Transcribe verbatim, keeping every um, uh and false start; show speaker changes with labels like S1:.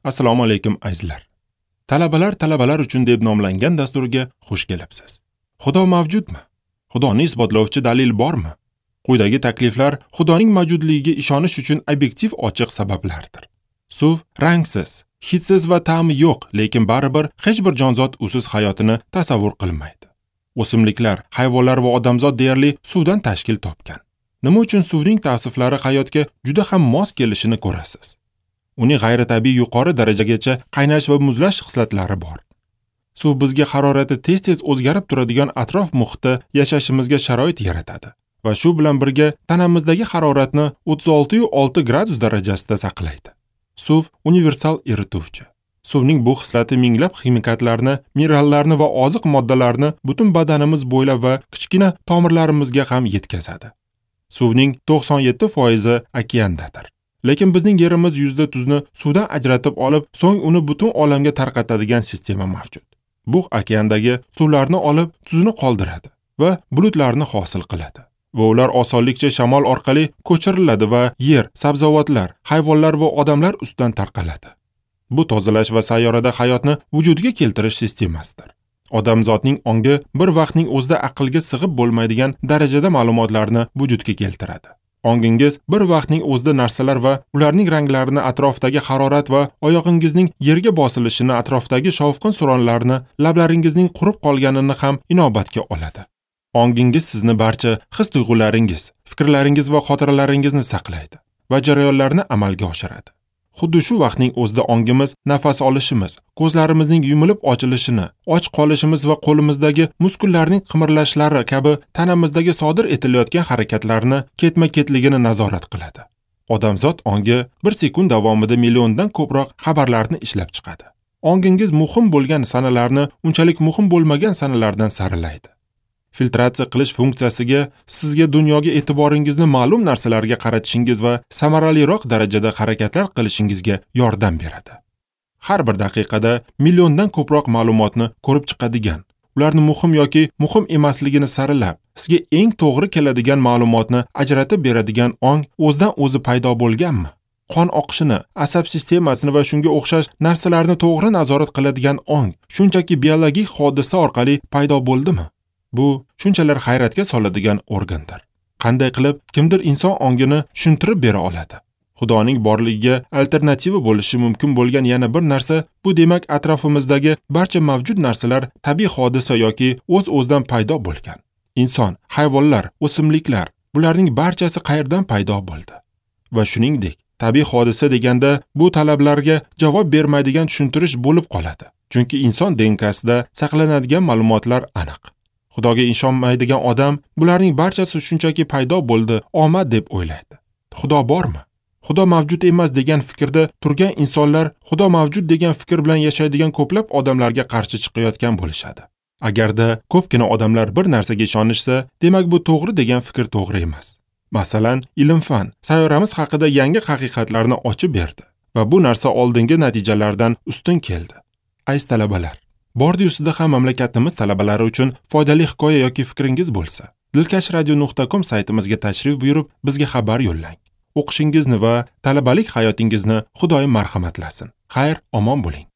S1: Assalomu alaykum azizlar. Talabalar talabalar uchun deb nomlangan dasturga xush kelibsiz. Xudo mavjudmi? Xudoni isbotlovchi dalil bormi? Quyidagi takliflar Xudoning mavjudligiga ishonish uchun obyektiv ochiq sabablardir. Suv rangsiz, hidsiz va ta'mi yo'q, lekin baribir hech bir jonzot usiz hayotini tasavvur qilmaydi. O'simliklar, hayvonlar va odamzod deyarli suvdan tashkil topgan. Nima uchun suvning tavsiflari hayotga juda ham mos kelishini ko'rasiz. Uning g'ayritabiiy yuqori darajagacha qaynash va muzlash xislatlari bor. Suv bizga harorati tez-tez o'zgarib turadigan atrof muhitda yashashimizga sharoit yaratadi va shu bilan birga tanamizdagi haroratni o'ttiz olti va olti gradus darajasida saqlaydi. Suv universal erituvchi. Suvning bu xislati minglab ximikatlarni, minerallarni va oziq moddalarni butun badanimiz bo'ylab va kichkina tomirlarimizga ham yetkazadi. Suvning to'qson yetti foizi okeandadir. Lekin bizning yerimiz yuzida tuzni suvdan ajratib olib, so'ng uni butun olamga tarqatadigan sistema mavjud. Bu okeandagi suvlarni olib, tuzni qoldiradi va bulutlarni hosil qiladi. Va ular osonlikcha shamol orqali ko'chiriladi va yer, sabzavotlar, hayvonlar va odamlar ustidan tarqaladi. Bu tozalash va sayyorada hayotni vujudga keltirish sistemasidir. Odamzodning ongi bir vaqtning o'zida aqlga sig'ib bo'lmaydigan darajada ma'lumotlarni vujudga keltiradi. Ongingiz bir vaqtning o'zida narsalar va ularning ranglarini, atrofdagi harorat va oyog'ingizning yerga bosilishini, atrofdagi shovqin suronlarni, lablaringizning qurib qolganini ham inobatga oladi. Ongingiz sizni barcha his-tuyg'ularingiz, fikrlaringiz va xotiralaringizni saqlaydi va jarayonlarni amalga oshiradi. Xuddi shu vaqtning o'zida ongimiz nafas olishimiz, ko'zlarimizning yumilib ochilishini, och qolishimiz va qo'limizdagi muskullarning qimirlashlari kabi tanamizdagi sodir etilayotgan harakatlarni ketma-ketligini nazorat qiladi. Odamzod ongi bir sekund davomida milliondan ko'proq xabarlarni ishlab chiqadi. Ongingiz muhim bo'lgan sanalarni unchalik muhim bo'lmagan sanalardan sarilaydi. Filtratsiya qilish funksiyasiga sizga dunyoga e'tiboringizni ma'lum narsalarga qaratishingiz va samaraliroq darajada harakatlar qilishingizga yordam beradi. Har bir daqiqada milliondan ko'proq ma'lumotni ko'rib chiqadigan, ularni muhim yoki muhim emasligini sarilab, sizga eng to'g'ri keladigan ma'lumotni ajratib beradigan ong o'zidan o'zi paydo bo'lganmi? Qon oqishini, asab sistemasini va shunga o'xshash narsalarni to'g'ri nazorat qiladigan ong shunchaki biologik hodisa orqali paydo bo'ldimi? Bu shunchalar hayratga soladigan organdir. Qanday qilib kimdir inson ongini tushuntirib bera oladi? Xudoning borligiga alternativa bo'lishi mumkin bo'lgan yana bir narsa bu demak atrofimizdagi barcha mavjud narsalar tabiiy hodisa yoki o'z-o'zidan paydo bo'lgan. Inson, hayvonlar, o'simliklar, bularning barchasi qayerdan paydo bo'ldi? Va shuningdek, tabiiy hodisa deganda bu talablarga javob bermaydigan tushuntirish bo'lib qoladi. Chunki inson D N K-sida saqlanadigan ma'lumotlar aniq. Xudoga ishonmaydigan odam bularning barchasi shunchaki paydo bo'ldi, omad deb o'ylaydi. Xudo bormi? Xudo mavjud emas degan fikrda turgan insonlar Xudo mavjud degan fikr bilan yashaydigan ko'plab odamlarga qarshi chiqayotgan bo'lishadi. Agarda ko'pgina odamlar bir narsaga ishonishsa, demak bu to'g'ri degan fikr to'g'ri emas. Masalan, ilm-fan sayyoramiz haqida yangi haqiqatlarni ochib berdi va bu narsa oldingi natijalardan ustun keldi. Aziz talabalar, bordi-ustida ham mamlakatimiz talabalari uchun foydali hikoya yoki fikringiz bo'lsa, dilkash radio nuqta com saytimizga tashrif buyurib, bizga xabar yo'llang. O'qishingizni va talabalik hayotingizni Xudoyim marhamatlasin. Xayr, omon bo'ling.